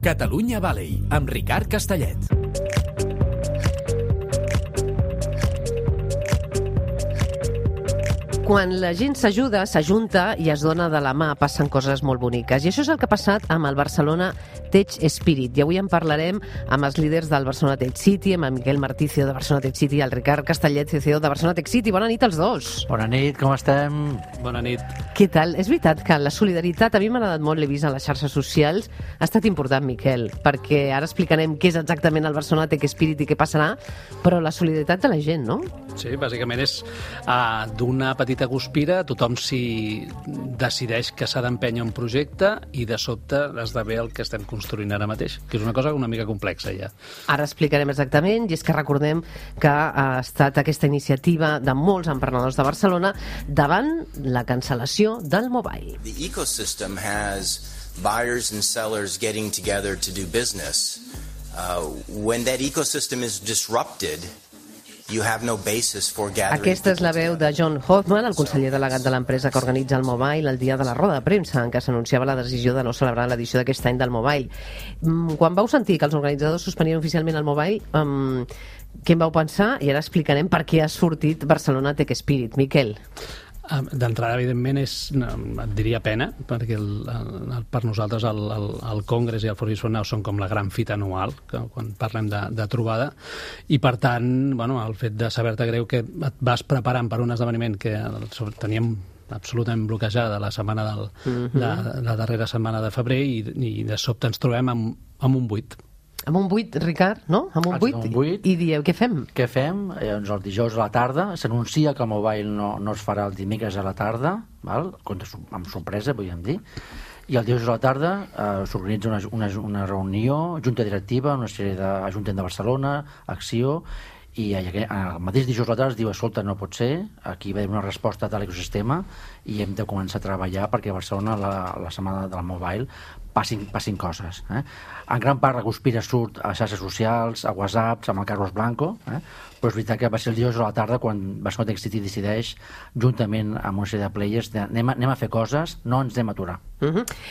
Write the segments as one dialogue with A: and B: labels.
A: Catalunya Valley, amb Ricard Castellet.
B: Quan la gent s'ajuda, s'ajunta i es dona de la mà, passen coses molt boniques. I això és el que ha passat amb el Barcelona Tech Spirit. I avui en parlarem amb els líders del Barcelona Tech City, amb el Miquel Martí, CEO de Barcelona Tech City, i el Ricard Castellet, CEO de Barcelona Tech City. Bona nit als dos.
C: Bona nit, com estem?
D: Bona nit.
B: Què tal? És veritat que la solidaritat, a mi m'ha agradat molt, l'he vist a les xarxes socials, ha estat important, Miquel, perquè ara explicarem què és exactament el Barcelona Tech Spirit i què passarà, però la solidaritat de la gent, no?
D: Sí, bàsicament és d'una petita guspira, tothom s'hi decideix que s'ha d'empènyer un projecte i de sobte esdevé el que estem construint ara mateix, que és una cosa una mica complexa ja.
B: Ara explicarem exactament, i és que recordem que ha estat aquesta iniciativa de molts emprenedors de Barcelona davant la cancel·lació del mobile.
E: The ecosystem has buyers and sellers getting together to do business. When that ecosystem is disrupted, you have no basis for gathering.
B: Aquesta és la veu de John Hoffman, el conseller delegat de l'empresa que organitza el Mobile, el dia de la roda de premsa en què s'anunciava la decisió de no celebrar l'edició d'aquest any del Mobile. Quan vau sentir que els organitzadors suspenien oficialment el Mobile, què en vau pensar? I ara explicarem per què ha sortit Barcelona Tech Spirit. Miquel.
D: D'entrada, evidentment, et diria pena, perquè per nosaltres el Congrés i el Fòrum Now són com la gran fita anual, quan parlem de trobada, i per tant, el fet de saber-te greu que et vas preparant per un esdeveniment que teníem absolutament bloquejada la setmana la darrera setmana de febrer, i de sobte ens trobem amb un buit.
B: Amb un buit, Ricard, no? Amb un buit. I dieu, què fem?
C: Què fem? Doncs el dijous a la tarda s'anuncia que el Mobile no es farà el dimecres a la tarda, val? Amb sorpresa, podríem dir, i el dijous a la tarda s'organitza una reunió, junta directiva, una sèrie d'Ajuntament de Barcelona, Acció, i el mateix dijous a la tarda es diu, escolta, no pot ser, aquí va haver una resposta de l'ecosistema i hem de començar a treballar perquè a Barcelona la setmana del Mobile passin coses. En gran part la conspira surt a les xarxes socials, a WhatsApp, amb el Carlos Blanco, però és veritat que va ser el dijous a la tarda quan Barcelona Tech City decideix, juntament amb una sèrie de players, anem a fer coses, no ens anem a aturar.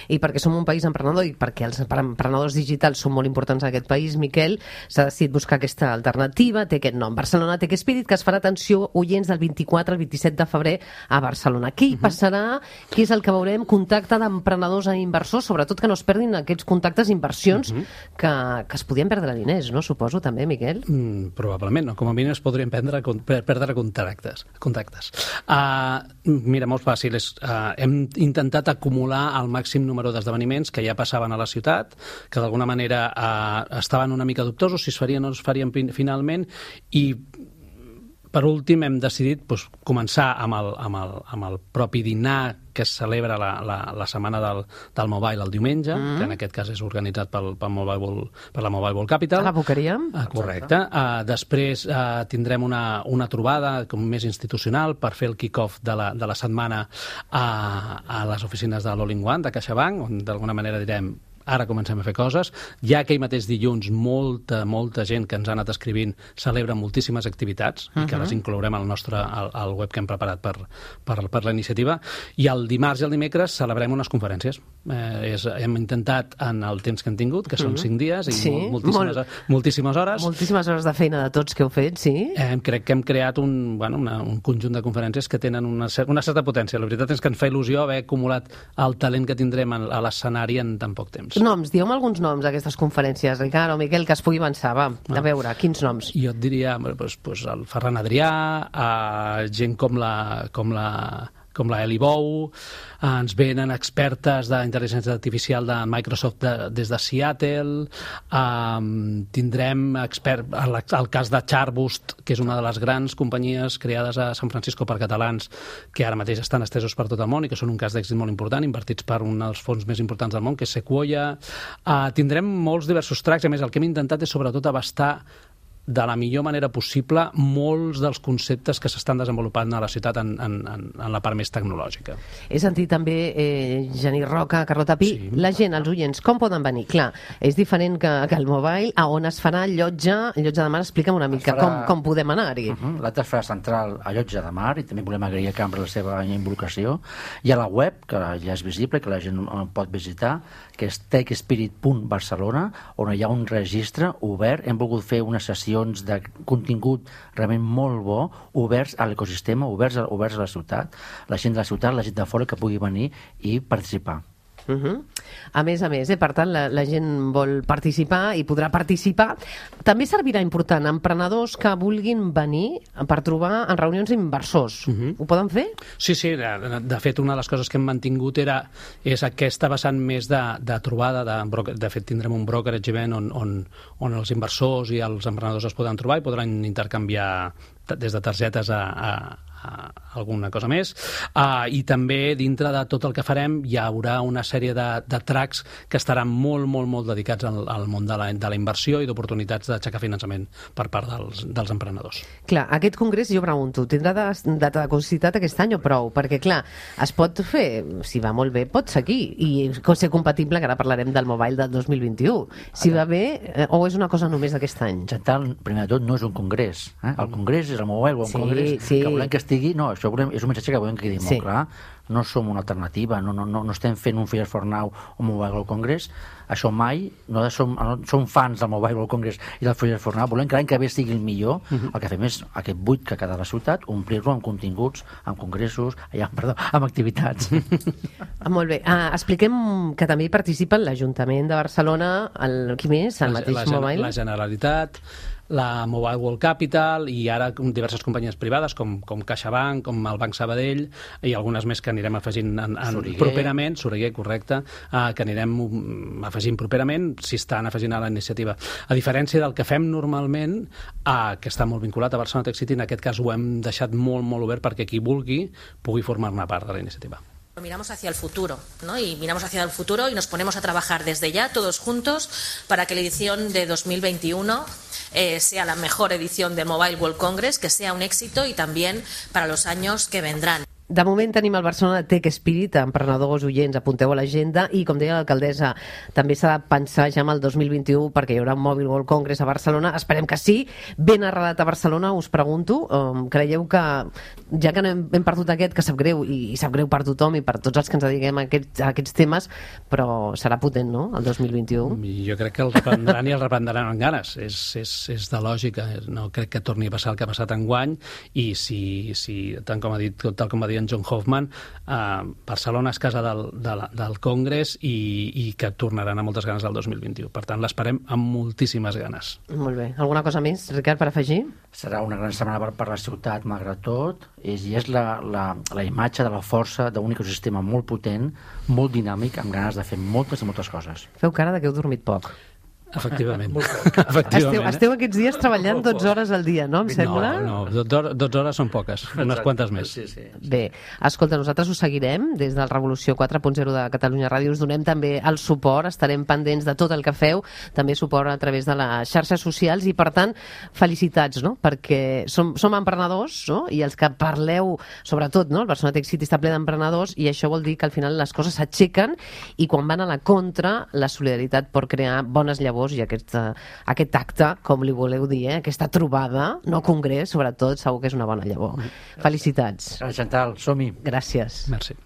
B: I perquè som un país emprenedor i perquè els emprenedors digitals són molt importants en aquest país, Miquel, s'ha decidit buscar aquesta alternativa, té aquest nom, Barcelona Tech Spirit, que es farà, atenció, oients, del 24 al 27 de febrer a Barcelona. Què hi passarà? Què és el que veurem? Contacte d'emprenedors a inversors, sobretot que no es perdin aquests contactes d'inversions que es podien perdre diners, no? Suposo, també, Miquel?
D: Probablement, no? Com a mínim es podrien perdre contactes. Mira, molt fàcil. Hem intentat acumular el màxim número d'esdeveniments que ja passaven a la ciutat, que d'alguna manera estaven una mica dubtosos si es farien o no es farien finalment, i per últim hem decidit començar amb el propi dinar que es celebra la setmana del Mobile el diumenge, que en aquest cas és organitzat per la Mobile World Capital.
B: A la Boqueria.
D: Correcte. Després tindrem una trobada més institucional per fer el kick-off de la setmana a les oficines de l'All-in-One de CaixaBank, on d'alguna manera direm ara comencem a fer coses. Ja aquell mateix dilluns molta gent que ens ha anat escrivint celebra moltíssimes activitats i que les inclourem al web que hem preparat per la iniciativa. I el dimarts i el dimecres celebrem unes conferències. Hem intentat, en el temps que hem tingut, que són 5 dies i moltíssimes hores.
B: Moltíssimes hores de feina de tots que heu fet, sí.
D: Crec que hem creat un conjunt de conferències que tenen una certa potència. La veritat és que ens fa il·lusió haver acumulat el talent que tindrem a l'escenari en tan poc temps.
B: Noms, dieu-me alguns noms d'aquestes conferències, Ricard o Miquel, que es pugui avançar. Va, a veure, quins noms?
D: Jo et diria el Ferran Adrià, gent com la Eli Bou, ens venen expertes d'intel·ligència artificial de Microsoft des de Seattle, tindrem el cas de Charboost, que és una de les grans companyies creades a San Francisco per catalans, que ara mateix estan estesos per tot el món i que són un cas d'èxit molt important, invertits per un dels fons més importants del món, que és Sequoia. Tindrem molts diversos tracks, a més el que hem intentat és sobretot abastar de la millor manera possible molts dels conceptes que s'estan desenvolupant a la ciutat en la part més tecnològica.
B: He sentit també, Genís Roca, Carlota Pi,
D: Sí.
B: la gent, els oients, com poden venir? Clar, és diferent que el mobile. A on es farà el Llotja de Mar? Explica'm una mica com podem anar-hi.
C: L'acte es farà central a Llotja de Mar, i també volem agrair a Cambra la seva involucració. Hi ha la web, que ja és visible, que la gent pot visitar, que és techspirit.barcelona, on hi ha un registre obert. Hem volgut fer unes sessions de contingut realment molt bo, oberts a l'ecosistema, oberts a la ciutat, la gent de la ciutat, la gent de fora que pugui venir i participar.
B: A més, per tant, la gent vol participar i podrà participar. També servirà important a emprenedors que vulguin venir per trobar en reunions inversors. Ho poden fer?
D: Sí, de fet, una de les coses que hem mantingut és aquesta vessant més de trobada. De fet, tindrem un brokerage event on els inversors i els emprenedors es poden trobar i podran intercanviar des de targetes a alguna cosa més, i també dintre de tot el que farem hi haurà una sèrie de tracks que estaran molt dedicats al món de la inversió i d'oportunitats d'aixecar finançament per part dels emprenedors.
B: Clar, aquest congrés, jo pregunto, tindrà data de caducitat aquest any o prou? Perquè, clar, es pot fer, si va molt bé, pot seguir i ser compatible, que ara parlarem del mobile del 2021. Si va bé, o és una cosa només d'aquest any?
C: Chantal, primer de tot, no és un congrés. El congrés és el Mobile World Congress, que volem que estigui... No, això és un missatge que volem que quedi molt clar. No som una alternativa, no estem fent un Fires for Now o Mobile World Congress. Això mai, no som fans del Mobile World Congress i del Fires for Now. Volem que l'any que ve sigui el millor. El que fem és aquest buit que queda a la ciutat, omplir-lo amb continguts, amb congressos, amb activitats.
B: Molt bé. Expliquem que també hi participen l'Ajuntament de Barcelona, qui més? El mateix Mobile?
D: La Generalitat, la Mobile World Capital i ara diverses companyies privades com CaixaBank, com el Banc Sabadell i algunes més que anirem afegint properament, Soriguer, correcte, que anirem afegint properament si estan afegint a la iniciativa. A diferència del que fem normalment, que està molt vinculat a Barcelona Tech City, en aquest cas ho hem deixat molt obert perquè qui vulgui pugui formar-ne part de la iniciativa.
F: Miramos hacia el futuro, ¿no? Y miramos hacia el futuro y nos ponemos a trabajar desde ya, todos juntos, para que la edición de 2021 sea la mejor edición del Mobile World Congress, que sea un éxito y también para los años que vendrán.
B: De moment tenim el Barcelona Tech Spirit, emprenedors, oients, apunteu a l'agenda, i com deia l'alcaldessa, també s'ha de pensar ja en el 2021 perquè hi haurà un Mobile World Congress a Barcelona, esperem que sí, ben arrelat a Barcelona, us pregunto, creieu que, ja que hem perdut aquest, que sap greu, i sap greu per tothom i per tots els que ens dediquem a aquests temes, però serà potent, no?, el 2021?
D: Jo crec que el reprendran i el reprendran amb ganes, és de lògica, no crec que torni a passar el que ha passat enguany, i si tal com va dir en John Hoffman, Barcelona és casa del Congrés i que tornaran a moltes ganes el 2021. Per tant, l'esperem amb moltíssimes ganes.
B: Molt bé. Alguna cosa més, Ricard, per afegir?
C: Serà una gran setmana per la ciutat, malgrat tot, i és la imatge de la força d'un ecosistema molt potent, molt dinàmic, amb ganes de fer moltes i moltes coses.
B: Feu cara que heu dormit poc.
D: Efectivament.
B: Esteu aquests dies treballant 12 hores al dia, no? Em sembla?
D: No, 12 hores són poques, unes quantes més.
C: Sí.
B: Bé, escolta, nosaltres us seguirem des del Revolució 4.0 de Catalunya Ràdio, us donem també el suport, estarem pendents de tot el que feu, també suport a través de les xarxes socials i, per tant, felicitats, no? Perquè som emprenedors, no? I els que parleu, sobretot, no? El Barcelona Tech City està ple d'emprenedors i això vol dir que al final les coses s'aixequen i quan van a la contra, la solidaritat pot crear bones llavors i aquest acte, com li voleu dir, aquesta trobada, no congrés, sobretot, segur que és una bona llavor. Felicitats.
C: Chantal, som-hi.
B: Gràcies.
D: Merci.